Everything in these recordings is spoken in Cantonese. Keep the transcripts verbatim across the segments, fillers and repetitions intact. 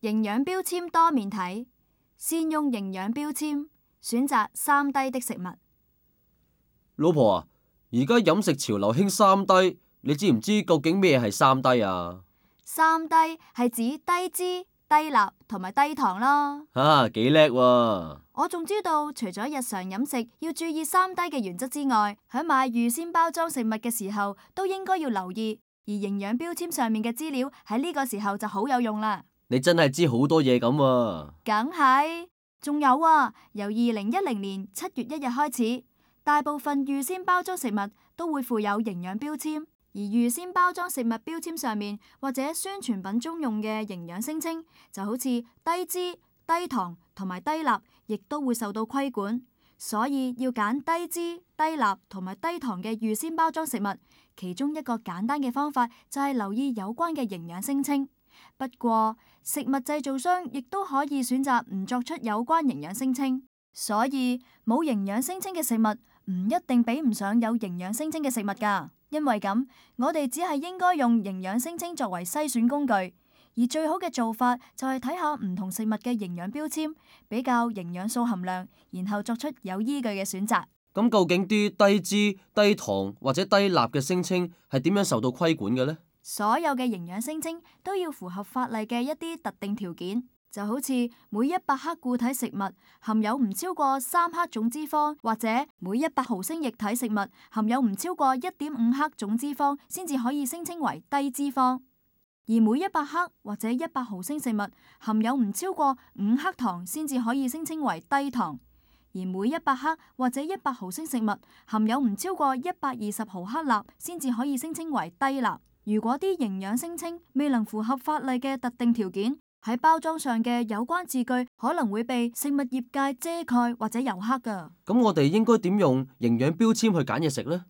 營養標籤多面睇，善用營養標籤，選擇三低的食物。老婆啊，而家飲食潮流興三低，你知唔知究竟咩係三低啊？三低係指低脂、低鈉同埋低糖咯。啊，幾叻喎！我仲知道，除咗日常飲食要注意三低嘅原則之外，喺買預先包裝食物嘅時候都應該要留意，而營養標籤上面嘅資料喺呢個時候就好有用啦。你真係知好多嘢咁喎。梗係，仲有啊，由二零一零年七月一日開始，大部分預先包裝食物都會附有營養標籤，而預先包裝食物標籤上面或者宣傳品中用嘅營養聲稱，就好似低脂、低糖同埋低鈉，亦都會受到規管。所以要揀低脂、低鈉同埋低糖嘅預先包裝食物，其中一個簡單嘅方法就係留意有關嘅營養聲稱。不過，食物製造商亦都可以選擇唔作出有關營養聲稱，所以冇營養聲稱嘅食物唔一定比唔上有營養聲稱嘅食物㗎。因為咁，我哋只係應該用營養聲稱作為篩選工具，而最好嘅做法就係睇下唔同食物嘅營養標籤，比較營養素含量，然後作出有依據嘅選擇。咁究竟啲低脂、低糖或者低鈉嘅聲稱係點樣受到規管嘅呢？所有嘅營養聲稱都要符合法例嘅一啲特定條件，就好似每一百克固體食物含有唔超過三克總脂肪，或者每一百毫升液體食物含有唔超過一點五克總脂肪，先至可以聲稱為低脂肪；而每一百克或者一百毫升食物含有唔超過五克糖，先至可以聲稱為低糖；而每一百克或者一百毫升食物含有唔超過一百二十毫克鈉，先至可以聲稱為低鈉。如果啲營養聲稱未能符合法例嘅特定條件，喺包裝上嘅有關字句可能會被食物業界遮蓋或者油黑噶。咁我哋應該點用營養標籤去揀嘢食呢？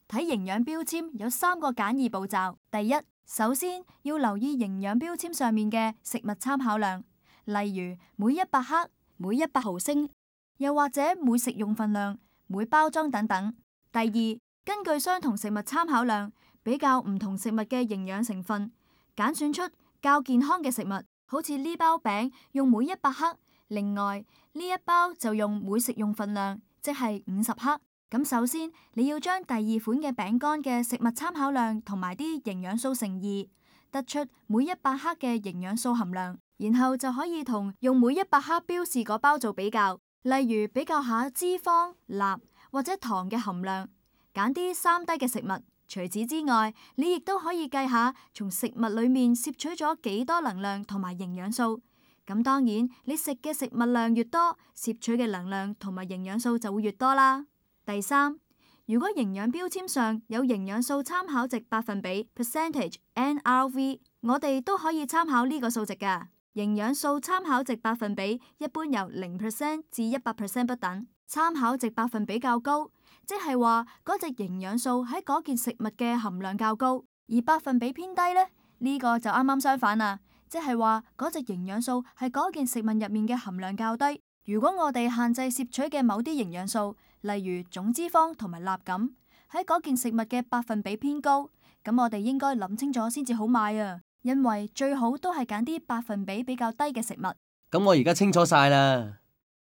睇營養標籤有三個簡易步驟。第一，首先要留意營養標籤上面嘅食物參考量，例如每一百克、每一百毫升，又或者每食用份量、每包裝等等。第二，根據相同食物參考量，比較唔同食物嘅營養成分，揀選出較健康嘅食物。好似呢包餅用每一百克，另外呢一包就用每食用份量，即係五十克。咁首先你要將第二款嘅餅乾嘅食物參考量同埋啲營養素乘二，得出每一百克嘅營養素含量，然後就可以同用每一百克標示嗰包做比較，例如比較下脂肪、鈉或者糖嘅含量，揀啲三低嘅食物。除此之外，你亦都可以計下從食物裏面攝取咗幾多能量同埋營養素。咁當然，你食嘅食物量越多，攝取嘅能量同埋營養素就會越多啦。第三，如果營養標籤上有營養素參考值百分比 percentage N R V， 我哋都可以參考呢個數值㗎。營養素參考值百分比一般由零 percent 至一百 percent 不等，參考值百分比較高，即係話嗰隻營養素喺嗰件食物嘅含量較高，而百分比偏低呢，呢個就啱啱相反啦，即係話嗰隻營養素係嗰件食物入面嘅含量較低。如果我哋限制攝取嘅某啲營養素，例如總脂肪同埋鈉咁，喺嗰件食物嘅百分比偏高，咁我哋應該諗清楚先至好買啊，因為最好都係揀啲百分比比較低嘅食物。咁我而家清楚晒啦。